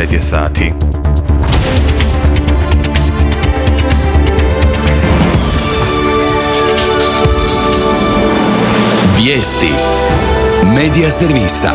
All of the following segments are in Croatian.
9 je sati. Vijesti Medija servisa.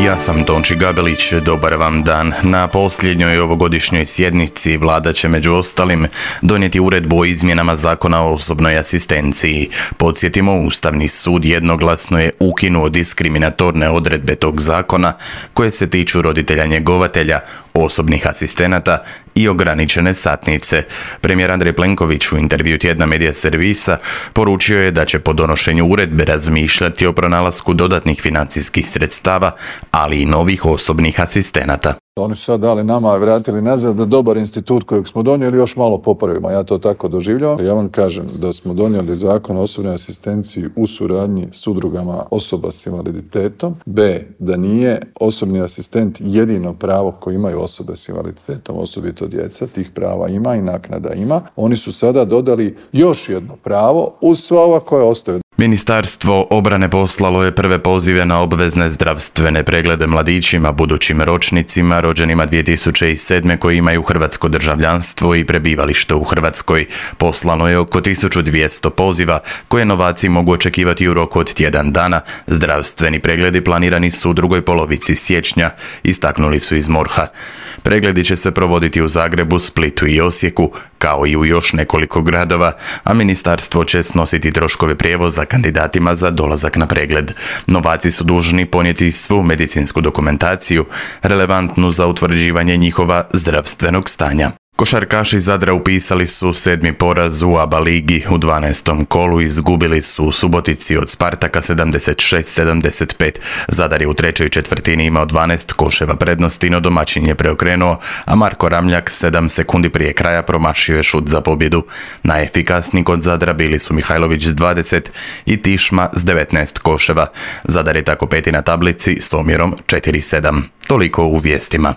Ja sam Tonči Gabelić, dobar vam dan. Na posljednjoj ovogodišnjoj sjednici vlada će među ostalim donijeti uredbu o izmjenama Zakona o osobnoj asistenciji. Podsjetimo, Ustavni sud jednoglasno je ukinuo diskriminatorne odredbe tog zakona koje se tiču roditelja njegovatelja, osobnih asistenata i ograničene satnice. Premijer Andrej Plenković u intervju tjedna Medija servisa poručio je da će po donošenju uredbe razmišljati o pronalasku dodatnih financijskih sredstava, ali i novih osobnih asistenata. Oni su sad dali nama, vratili nazad da dobar institut kojeg smo donijeli još malo popravimo. Ja to tako doživljavam. Ja vam kažem da smo donijeli Zakon o osobnoj asistenciji u suradnji s udrugama osoba s invaliditetom. B, da nije osobni asistent jedino pravo koje imaju osobe s invaliditetom, osobito djeca. Tih prava ima i naknada ima. Oni su sada dodali još jedno pravo uz sva ova koja ostaju. Ministarstvo obrane poslalo je prve pozive na obvezne zdravstvene preglede mladićima, budućim ročnicima, rođenima 2007. koji imaju hrvatsko državljanstvo i prebivalište u Hrvatskoj. Poslano je oko 1200 poziva koje novaci mogu očekivati u roku od tjedan dana. Zdravstveni pregledi planirani su u drugoj polovici siječnja, istaknuli su iz MORH-a. Pregledi će se provoditi u Zagrebu, Splitu i Osijeku, kao i u još nekoliko gradova, a ministarstvo će snositi troškove prijevoza kandidatima za dolazak na pregled. Novaci su dužni ponijeti svu medicinsku dokumentaciju relevantnu za utvrđivanje njihova zdravstvenog stanja. Košarkaši Zadra upisali su 7. poraz u ABA ligi. U 12. kolu izgubili su u Subotici od Spartaka 76-75. Zadar je u trećoj četvrtini imao 12 koševa prednosti, no domaćin je preokrenuo, a Marko Ramljak 7 sekundi prije kraja promašio je šut za pobjedu. Najefikasniji kod Zadra bili su Mihajlović s 20 i Tišma s 19 koševa. Zadar je tako peti na tablici s omjerom 4-7. Toliko u vijestima.